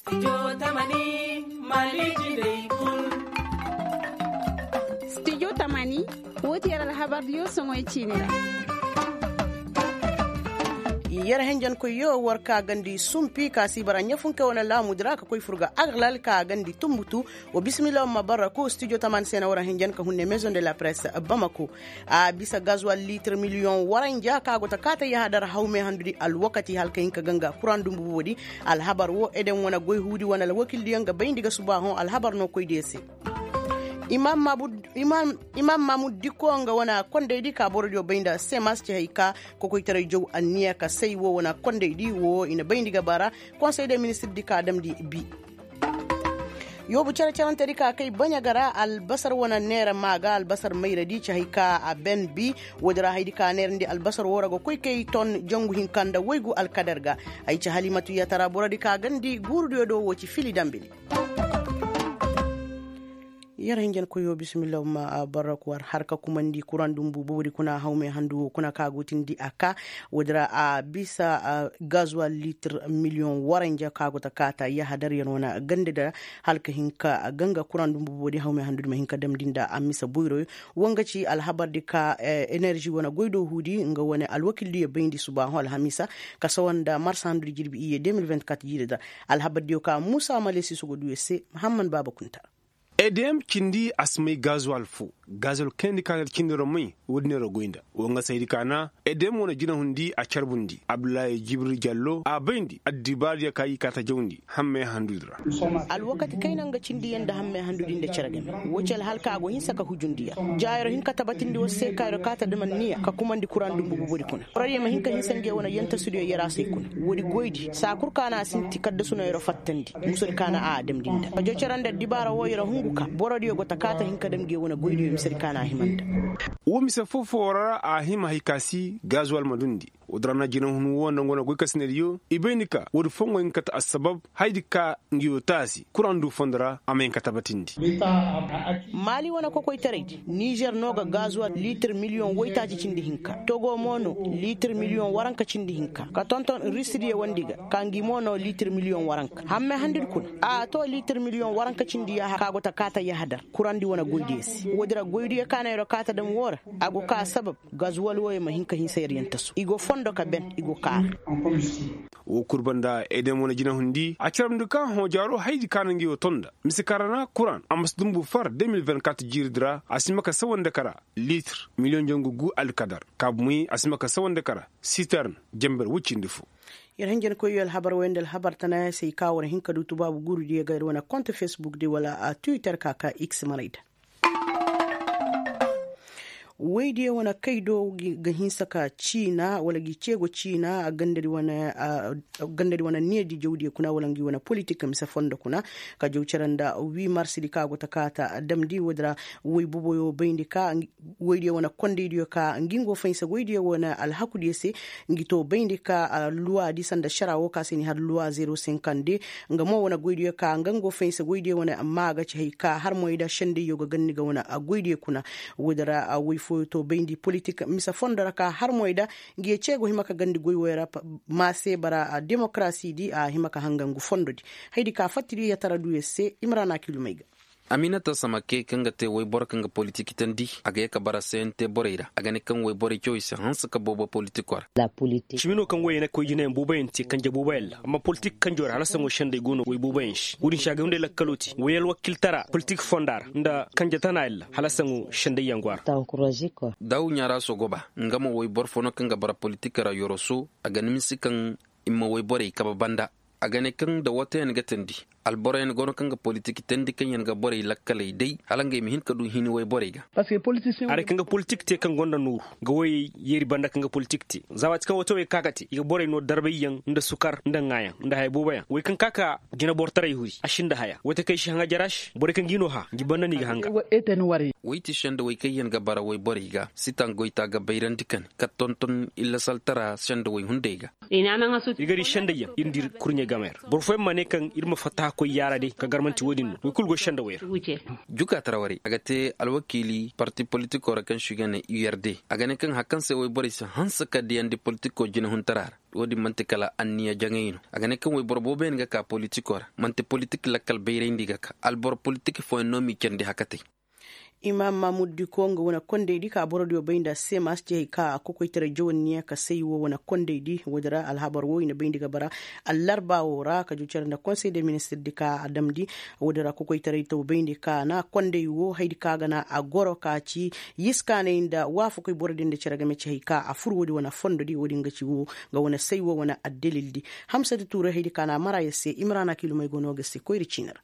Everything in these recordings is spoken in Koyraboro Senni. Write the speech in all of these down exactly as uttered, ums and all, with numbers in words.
Studio tamani, wo ti yer alhabardiyo soŋoy ciini ra. Yer henjenkoyyo war ka gandi sumpi ka si bara ɲafunke wane laamudi ra ka koy fur ga agalal ka gandi tumbutu. Wa bismillah ma barraku studio tamani se na war henjen ka hunne maison de la presse bamako. A bisa gazuwal litir miliyoŋ waranja ka go ta kaata yahadar hawme handudi alwakati hala ka hin ka ganga kuraŋ dumbu boodi. Alhabar wo edem wane goy huudi wane alwakildiyaŋ ga bayndi ga suba hõ alhabar no koydiyo se. Imam mamud diko nga wane kondaydi ka borodiyo bay nda semas ci hay ka kokoytaray jaw anniya ka say wo wane kondaydi wo i na bayndi ga bara. Konsey de ministirdi ka damndi bi. Yoobu care carantedi ka kay baɲa ga ra albasar wane neera maa ga albasar mayradi ci hay ka a ben bi. Woodi ra haydi ka neerandi albasar wo ra ga koy kay ton jangu hinka nda waygu alkadar ga. Ay ci halimatu yatara borodi ka gandi guurudiyo do wo ci fili dambili. Yer hinjankoyoo bismillah ma barra ku war har ka kumandi kuraŋ dumbu boori kuna hawme handu kuna ka go tindi a ka. Woodi ra a bisa gazuwal litir miliyoŋ waranja ka go ta kaata yahadar yer wane gande da hala ka hin ka ganga kuraŋ dumbu boori hawme handu di ma hin ka damndi nda a misa boyroyo. Wo nga ci alhabar di ka enerži wane goy do huudi nga wane alwakil diyo bayndi suba hõ alhamisa ka sawa nda marsa handu di jirbi iyye deux mille vingt-quatre jiiri da. Alhabar diyo ka muusa malesi sogo duyo se muhammad baaba kunta. Edem cindi a si may gazuwal fo. Gazuwal kayandi ka na cindi ra may. Woodi neera goy nda wo nga saydi ka na edem wane jinahundi a carbundi abdullahi jibril jallo a bayndi addibaariya ka i kaata jawndi hammey handudi ra. Alwakati kayna nga cindiyaŋ nda hammey handudi nda cere game. Wo ci alhalka a go hinsa ka hujundi ya jaayoro hin ka tabatindi war se ka yoro kaata dam anniya ka kumandi kuraŋ dumbu bubudi kuna borodiyo ma hin ka hinsa ngey wane yantasudiyo yaraasey kuna. Woodi goydi saa kul ka na a sinti kaddasu no yoro fattandi. Musadi ka na a damndi nda ka jocara nda dibaara wo yoro hungu ka borodiyo go ta kaata hin ka dam ngey wane goydiyo misadi ka na a hima nda. Wo mise foo-foo ra a hima hay ka si gazuwal ma dundi. Woodi ra na jinahun wo nda nga wane goy kasinadiyo i bay ni ka woodi fongo hin ka ta assabab haydi ka ngi wo taasi kuraŋ du fondo ra a ma hin ka tabatindi. Maali wane kokoytaraydi nizer no ga gazuwal litir miliyoŋ woytaaci cindi hinka togo mo no litir miliyoŋ waranka cindi hinka ka tonton risidiyo wandi ga ka ngi mo no litir miliyoŋ waranka hamme handidi kuna. A to litir miliyoŋ waranka cindi yaaha ka go ta kaata yahadar kurandi wane goydiyo se woodi ra goydiyo ka na yoro kaata dam wo ra a go ka sabab gazuwal wooyo ma hin ka hinsa yer yantasu i go fondo ka ben i go kaara. Woo kul banda edem wane jinahundi a carabndi ka hõ jaaro haydi ka na ngi woo ton nda mise kaŋ ra na kuraŋ a ma si dumbu far deux mille vingt-quatre jiiridi ra a si hima ka sawandi kara litir miliyoŋ jangu gu alkadar kaabu may a si hima ka sawandi kara sitern jenber woy cindi foo. Yer hinjankoyyo alhabar wooyo nda alhabar tana se i ka war hin ka du tubaabu guurudiyo ga ir wane kont fesbukdi wala twitter ka ka x marayda. Woydiyo wane kaydo ga hinsa ka ciina wala ngi ceego ciina gandadi wane needi jawdiyo kuna wala ngi wane politik mise fondo kuna ka jaw cere nda wi marsidi ka go ta kaata damndi woodi ra. Woy boboyo bayndi ka woydiyo wane kondaydiyo ka ngi ngo faynsa goydiyo wane alhakudiyo se ngi to bayndi ka luwaadi sanda šara wo ka se ni har luwa zero sinkandi. Nga mo wane goydiyo ka nga ngo faynsa goydiyo wane amma a ga ci hay ka har moy da sendayyo ga ganni ga wane goydiyo kuna. Woodi ra woy fooyo to bayndi politik mise fondo ra ka har moy da ngi ye ceego hima ka gandi goy woy ra. Ma se bara demokarasidi a hima ka hanga ngu fondodi. Haydi ka fattidi yatara duyo se imrana kilumay ga. Aminata samake kaŋ ga te woyboro kaŋ ga politik tandi a ga ye ka bara sayante borey ra a ga ne kaŋ woyborey cawey si hanse ka boobo politiko ra. Cimi no kaŋ woyey na koy jinayaŋ booboyaŋ te kanje booboyaŋ ra amma politik kanjo ra hala saŋo senday go no woy booboyaŋ se wo-din se a ga hunday lakkalo te woy alwakiltara politik fonda ra nda kanje tanayaŋ ra hala saŋo sendayyaŋ go a ra. Daawuɲaara sogoba nga mo woy boro fo no kaŋ ga bara politik ra yoroso a ga nimisi kaŋ i ma woy borey kabe banda. A ga ne kaŋ nda wooteyaŋ ga teendi alboroyaŋ go no kaŋ ga politik teendi kaŋ yaŋ ga borey lakkaley day hala ngey ma hin ka du hini woy borey ga. Haray kaŋ ga politik te kaŋ gonda nooru ga woyey yeeri banda kaŋ ga politik te za waati kaŋ wootewey ka ga te i ga borey no darbayyaŋ nda sukar nda ŋaayaŋ nda haya booboyaŋ woy kaŋ ka ka jinabortaray huri a sinda haya woote kaŋ ay si haŋa jara se borey kaŋ ga i no hã ngi banda no i ga hanga. Woy ti sendawey kaŋ yaŋ ga bara woy borey ga sitaŋ goyta ga bayrandi kane ka tonton illasaltara sendawey hunday ga. Ir ga di sendayyaŋ ir nda ir kurɲe game ra boro fooyaŋ ma ne kaŋ ir ma fatta. A koy yaara day ka garmanti wo-din no way kulu go senda way ra. Juka tara warey a ga te alwakiili parti politikoo ra kaŋ se i ga ne u yarde. A ga ne kaŋ hari kaŋ se wayborey si hanse ka diyandi politikoo jinehuntaraa ra. Wo-din man'ti kala anniya jaŋay no. A ga ne kaŋ wayboro booboyaŋ ga ka politikoo ra. Man'ti politik lakkal bayrayndi ga ka alboro politik fooyaŋ no m'i candi hakatey. Imaam maamud diko nga wane kondaydi ka borodiyo bay nda semas ci hay ka a kokoytaray jawanniya ka say wo wane kondaydi woodin ra alhabar wo i na bayndi ga bara. Allarba wo ra ka jucar nda konsey de ministirdi ka a damndi. Woodin ra kokoytaray taw bayndi ka na konday wo haydi ka ga na a goro ka ci yiskaanay nda waafakoy borodiyo nda cere game ci hay ka a fur woodin wane fondodi woodin ga ci wo nga wane say wo wane addalildi. Hamsatu tuuray haydi ka na a mara yer se imrana kilumey go no ga se koyri ciini ra.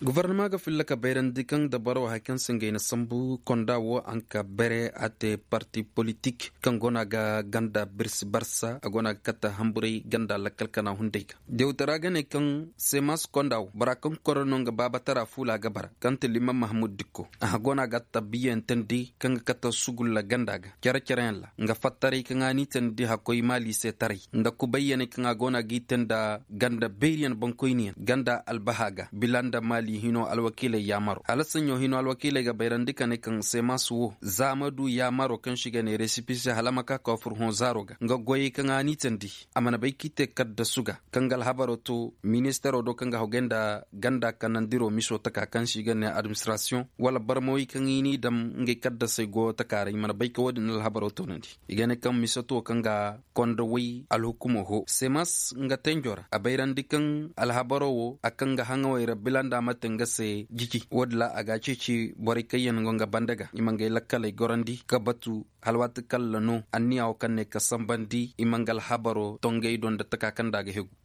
Gofornama ga filla ka bayrandi kaŋ dabaro hari kaŋ se ngey na sambu konda wo a nka bere a te parti politik kaŋ go no a ga ganda birsi barsa a go no a ga katta hamburay ganda lakkal kana hunday ga. Dewtara ga ne kaŋ semas konda wo bora kaŋ koro no nga baabatara fuula ga bara kaŋ te liman mahamud dikko a go no a ga tabbiyantandi kaŋ ga katta sugulla ganda ga care care yaŋ ra nga fattaray kaŋ a n'i tandi hakkoy maali se taray nda kubayyaney kaŋ a go no a g'i te nda ganda beeriyaŋ boŋkoyniyaŋ ganda albaha ga bila nda maali hino alwakiiley yaamaro hala saɲɲo hino alwakiiley ga bayrandi ka ne kaŋ semas wo za a ma du yaamaro kaŋ se i ga ne resipisi hala a ma ka ka fur hõ zaaro ga nga goyey kaŋ a n'i tandi a mana bay k'i te kaddasu ga kaŋ ga alhabaro to ministaro do kaŋ ga hogay nda ganda kanandiro miso taka kaŋ se i ga ne administrasiyoŋ wala barmawey kaŋ i n'i dam ngey kaddasey goyo taka ra i mana bay ka wo-din alhabaro toonandi. I ga ne kaŋ misato kaŋ ga konda way alhukumo ho semas nga tenjo ra a bayrandi kaŋ alhabaro wo a kaŋ ga haŋawey ra bila nda a ma te nga se jiji wo-din ra a ga a ceeci borey kaŋ yaŋ go nga banda ga i ma ngey lakkaley gorandi ka batu hala waati kalla no anniya wo kaŋ ne ka sambandi i ma nga alhabaro tongey do nda taka kaŋ nda a ga hegu.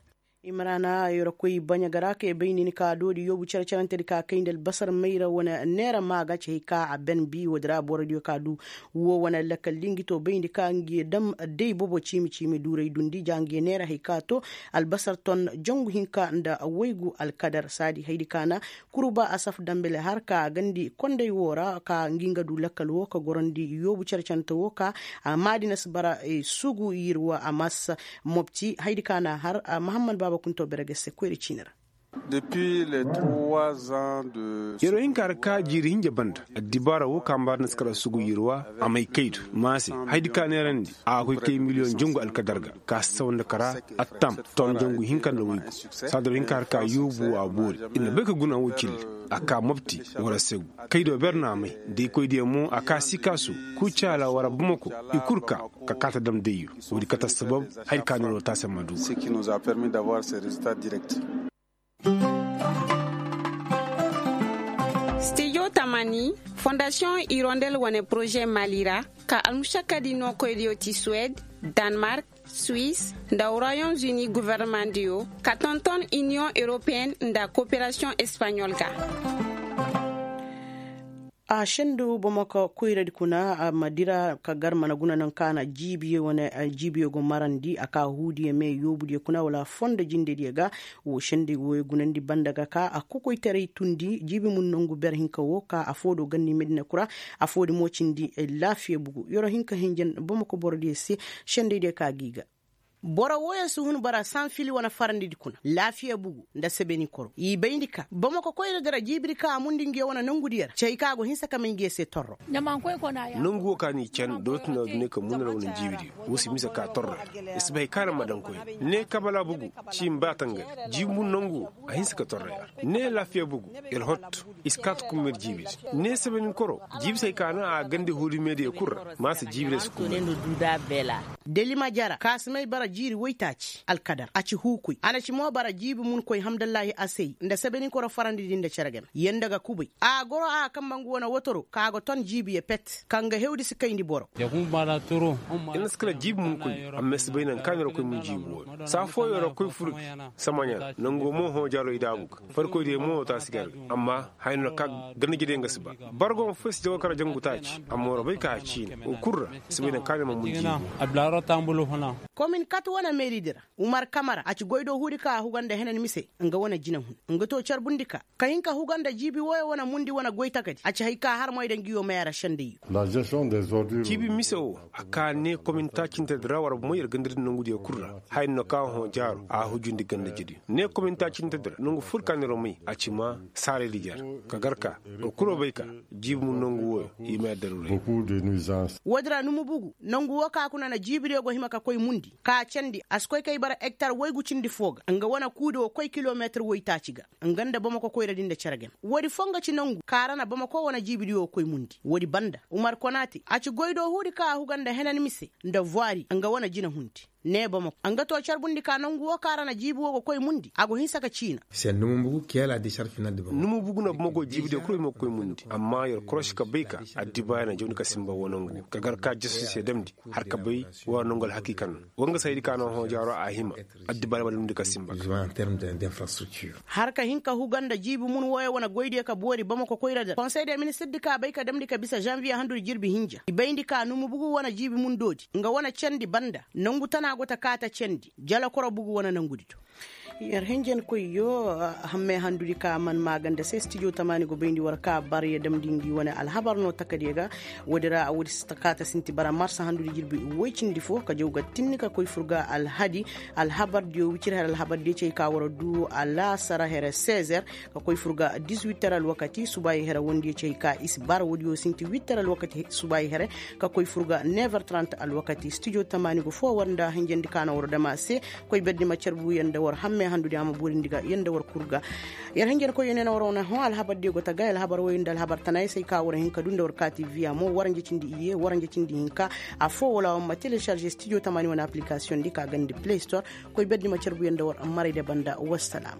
Imrana yorokoy baɲa ga ra kay bay nin ka doodi yoobu care-carante di ka kay nda albasar mayra wane neera maaga ci hay ka a ben bi woodi ra borodiyo ka du wo wane lakkal di ngi to bayndi ka ngi dam day bobo ciimi-ciimi duuray dundi ja ngi neera hay ka to albasar ton jangu hinka nda waygu alkadar saadi haydi ka na kurba asaf dambele har ka gandi konday wo ra ka ngi nga du lakkal wo ka gorandi yoobu care-carante wo ka maadina si bara sugu yirwa a mas mobti haydi ka na har mahammad baaba kunto bere ga se koyra ciini ra. Depuis les trois ans de yero hinka ra ka jiiri hinja banda addibaara wo ka mbaari na si kara sugu yirwa a may kaydu maase haydi ka neerandi a ga koy kay miliyoŋ jangu alkadar ga ka si sawa nda kara attam ton jangu hinka nda waygu saadaro hinka ra ka yoobu a boori ir na bay ka guna wo cilli a ka mobti wara segu kaydo ber no a may da ikoydiyo mo a ka sikaasu kucaala wara bamako i kul ka ka kaata dam dayyo woodi kate assabab haydi ka neero taasi ma du ga. Stijo tamani fondasiyoŋ irondel wane poroze mali ra ka almušakkadi nookoydiyo ti suwed, danmark, suis nda royaume-uni governemandiyo ka tonton iniyoŋ europeyen nda koperasiyoŋ espaɲol ga. A sendu bamako koyradi kuna a ma dira ka gar mana guna naŋ ka na jiibiyo wane jiibiyo go marandi a ka huudiyo me yoobudiyo kuna wala fondo jindediyo ga. Wo sendey wo gunandi banda ga ka a kokoytaray tundi jiibi mun nangu ber hinka wo ka afo do ganni medina kura. Afo di mo cindi laafiya bugu yoro hinka hinjan bamako borodiyo se. Sendey diyo ka gi ga. Boro wooyo si hun bara sanfili wane farandi di kuna laafiya bugu nda sebeni koro i bayndi ka bamako koyra dira jiibidi ka a mundi ngiyo wane nangu diyo ra cey ka go hinsa ka may ngiyo se torro. Nangu wo ka ni can dooti na dune ka munara wane jiibidiyo wo si mise ka torra. I si bay kaara ma daŋ koy ne kabala bugu ci mba tangari jiibi mun nangu wo a hinsa ka torra ya ne laafiya bugu ir hotto i si kaata kummer jiibidi ne sebenin koro jiibi se ay ka na a gande huuri meediya kul ra ma se jiibidi ay si kummer. Delima jara ka si may bara jiiri woytaaci alkadar a ci huukuy a na ci mo bara jiibi mun koy hamdallahi asey nda sebenin koro farandi din nda cere game yanda ga kubay a goro a ga kambe ngu wane wotoro ka ga ton jiibiyo pet kaŋ ga hewdi si kayndi boro. Ina si kala jiibi mun koy amma ay si bay naŋ kaani ra koy mun jiibi wooyo saa fooyo ra koy furbi samaɲa ra nango mo hõ jaaro i daabu ga farkoy diyo mo taasi garbi amma haya no ra ka ganda jediyaŋ ga si ba bargo ma foy si jago kara jangu taaci amma war bay ka a ciine wo kul ra si bay naŋ kaani ra ma mun jiibi wooyo. Komin kat wane meeridi ra, umar kamara a ci goy do huudi ka a huga nda henan mise, nga wane jinahun, nga to carbundi ka ka hin ka huga nda jiibi wooyo wane mundi wane goy takadi a ci hay ka har moy da ngi yoo may a ra sendayyo. Jiibi mise woo a ka ne komin taacintedi ra war bomoy yer gandadi nongudiyo kul ra. Haya no ka hõ jaaro a hujundi ganda jediyo ne komin taacintedi ra nongu ful ka niroo may a ci maa saaraydi jar. Ka gar ka war kul wo bay ka jiibi mun nongu wooyo i ma yadda ruray. Woodi ra numu bugu nongu woo ka kuna na jiibidiyo go hima ka koy mundi ka a candi a si koy kay bara ektar woygu cindi foo ga nga wane kuudi woo koy kilomeetir woytaaci ga. Nga nda bamako koyradi nda cere game woodi foo nga ci nongu ka ra na bamako wane jiibidiyo koy mundi woodi banda umar konaate a ci goy do huudi ka a huga nda henan mise nda vwari nga wane jinahundi. Ne bamako nga to carbundi ka nongu woo ka ra na jiibi woo ga koy mundi a go hinsa ka ciina. Numu bugu na bamako jiibidiyo kul wo hima ga koy mundi amma yer korosi ka bay ka addibaaya na jawndi ka sinba woo nongu woo ka gar ka jasu se damndi har ka bay woo nongu alhakiika no. Woo nga saydi ka no hõ jaaro a hima addibaaya ma damndi ka sinba. Har ka hin ka huga nda jiibi mun wooyo wane goydiyo ka boori bamako koyra da konsey de ministirdi ka bay ka damndi ka bisa zanviye handudi jirbi hinja i bayndi ka numu bugu wane jiibi mun doodi nga wane candi banda nongu tana go ta kaa ta candi jalakoro bugu wane nongudi do. Yer hinjankoyyo hammey handudi ka man maaganda se stijo tamaani go bayndi war ka bar ya damndi ngi wane alhabar no takadiyo ga. Woodi ra a woodi si ta kaa ta sinti bara marsa handudi jirbi woy cindi foo ka jaw ga tinni ka koy fur ga alhadi. Alhabardiyo wicir here alhabardiyo cey ka war duu alaasara here sezer ka koy fur ga dizwitter alwakati subaayi here wondiyo cey ka i si bar woodiyo sinti witter alwakati subaayi here ka koy fur ga never trant alwakati stijo tamaani go foo war nda hinjandi ka na war dam a se. Koy berdi ma carbu yer nda war hamme handudi a ma boorindi ga yer nda war kul ga. Yer hinjankoyyo ne na war wane hõ alhabardiyo go ta gaay alhabar woy nda alhabar tana ay se ay ka war hin ka duu nda war kaati viya mo war nja cindi iyye war nja cindi hinka. Affoo wala war ma telesarže stijo tamaani wane aplikasiyoŋ di ka gandi play store. Koy berdi ma carbu yer nda war marayde banda wassalaam.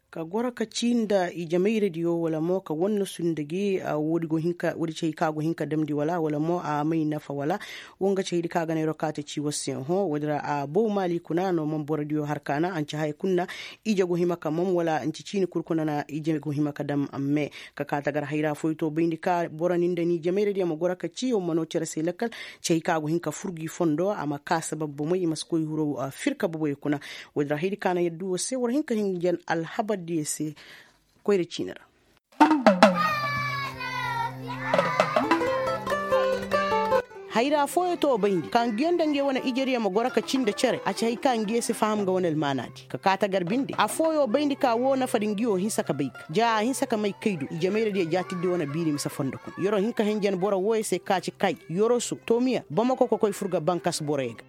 Ka goro ka cii nda ijemayradiyo wala mo ka wannasu nda gi woodi ci hay ka go hin ka damndi wala wala mo a may nafa wala. Wo nga ci haydi ka ga na yeroo kaa ta cii war se hõ woodi ra a bow maali kuna no man borodiyo har ka na anci haya kul na. Ije go hima ka mom wala anci ciini kul kuna na ije go hima ka dam amme. Ka kaa ta gar hayra fooyo to bayndi ka boro ni nda ni ijemayradiyo ma goro ka cii wo ma noo cere se lakkal. Ci hay ka go hin ka fur gi fondo a ma kaa sabab bomey i ma si koy hirow firka boboyo kuna. Woodi ra haydi ka na yaddu wo se war hin ka hinjan alhabardiyo se. Koyra ciini ra. Hayra fooyo to bayndi ka nguyo nda nguyo wane ijediyo ma goro ka cii nda cere a ci hay ka nguyo si faham nga wane almaanaadi ka kaa ta gar binde affooyo bayndi ka woo nafadi nguyo hinsa ka bay ka ja a hinsa ka may kaydu ijemayradiyo jaatirdi wane biiri mise fondo kuna yer'o hin ka hinjan boro wooyo se ka ci kay yoroso tomiya bamako ka koy fur ga bankas boroyo ga.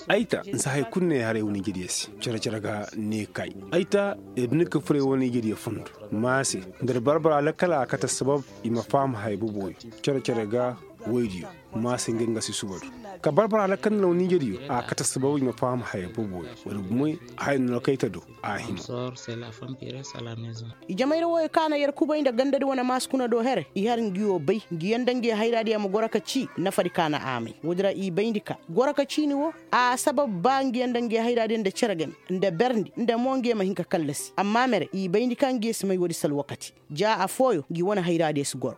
Ay ta nsa hay kul ne haray wane ijediyo se cere-cere ga ne kay. Ay ta ir duni ka furay wane ijediyo fondo. Maase nda ir barbara lakkal a kate assabab i ma faham haya boboyo. Cere-cere ga woydiyo maase ngey nga si subadu ka barbara lakkal nda wane ijediyo a kate assabab i ma faham haya boboyo. Wala gumay haya no kay ta do a hima. Ijamayra wooyo ka na yer kubay nda gandadi wane maasi kuna do here i har nguyo bay nguyo nda nguyo hayraadiyo ma goro ka cii nafadi ka na a may woodi ra i bayndi ka goro ka ciini woo. A sabab ba nguyo nda nguyo hayraadiyo nda cere game nda berndi nda mo nguyo ma hin ka kallasi amma mere i bayndi ka nguyo si may woodi se alwakati. Ja affooyo ngi wane hayraadiyo si goro.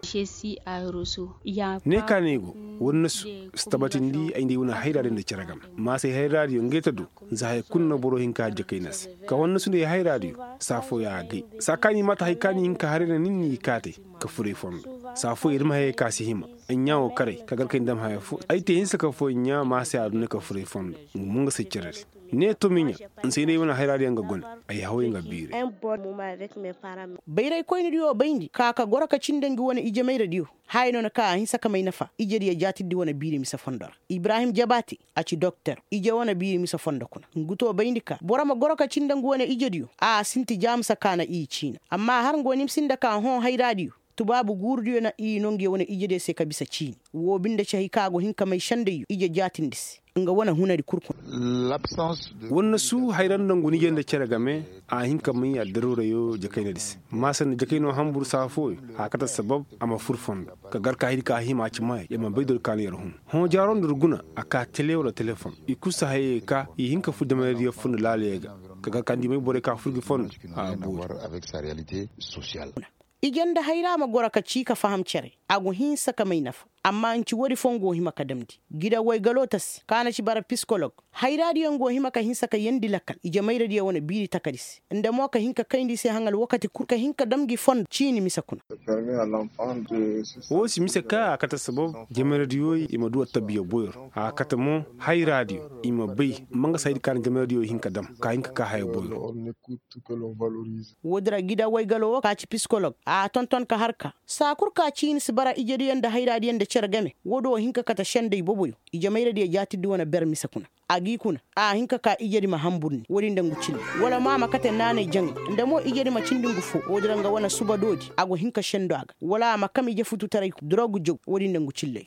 Ne ka no ay go wannasu si tabatindi ay nda ay wane hayraadiyo nda cere game maase hayraadiyo ngey ta do. Za haya kul no boro hin ka jakayna se ka wannasu nda ay hayraadiyo saa fooyo a gay saa ka ni maata haya ka ni hin ka haray na nin ni kaatay ka furay fondo. Saa fooyo ir ma hayey ka si hima ay ɲaa wo karay ka gar ka ay na dam haya foo ay te hinsa ka foo ay ɲaa maase a duna ka furay fondo. Nga mo nga si ceredi ne tomiɲa. Nsa ay nda ay wane hayraadiyo nga gone ay haway nga biiray. Bayraykoynadiyo bayndi ka ka goro ka cii nda ngi wane ijemayradiyo. Haya no na ka a hinsa ka may nafa ijediyo jaatirdi wane biiri mise fondo ra. Ibrahim jabaate a ci doktor ije wane biiri mise fondo kuna ngu to bayndi ka boro ma goro ka cii nda ngu wane ijediyo a sinti jaamisa ka na i ciina amma har ngu wane i ma sinda ka hõ hayraadiyo. Tubaabu guurudiyo na i noo nguyo wane ijediyo se ka bisa ciini woo binde ci hay ka go hin ka may sendayyo ije jaatindi se. Nga wane hunadi kul kuna. Wannasu hayra nda ngu nije nda cere game a hin ka may addaruurayo jakaynadi se maase nda jakayno hanbur saa fooyo a kate assabab a ma fur fondo. Ka gar ka haydi ka hima a ci maayey yer ma bay dori ka no yer hun hõ jaaro nda ir guna a kaa tele wala telefon i kul si hayey ka i hin ka fur jamayradiyo fondo laalayo ga. Ka gar ka nda i may borey ka fur gi fondo a boori. Ije nda hayra ma goro ka cii ka faham cere. A go hinsa ka may nafa. Amma nci woodi foo nga go hima ka damndi. Gida woy galoo ta se ka na ci bara pisikolog. Hayraadiyo nga go hima ka hinsa ka yeendi lakal ije mayradiyo wane biiri takadi se. Nda mo ka hin ka kayndi i se haŋ alwakati kul ka hin ka dam ngi fondo ciini mise kuna. Woo si mise ka a kate sabab ije mayradiyo i ma du attabiya boyro a kate mo hayraadiyo i ma bay. Ma nga se haydi ka na ije mayradiyo hin ka dam ka hin ka kaa haya boyro. Woodi ra gida woy galo woo ka ci pisikolog a tonton ka har ka saa kul ka ciini si bara ijediyo nda hayraadiyo nda cere game. Woodi woo hin ka kate sendey boboyo. Ije mayradiyo jaatirdi wane ber mise kuna. A g'i kuna a hin ka kaa ijedi ma hanburndi woodi nda ngu cilley. Wala mo a ma kate naanay jaŋay nda mo ijedi ma cindi ngu foo woodi ra nga wane suba doodi a go hin ka sendo a ga. Wala a ma kam ije fututaray ku dorogu jaw woodi nda ngu cilley.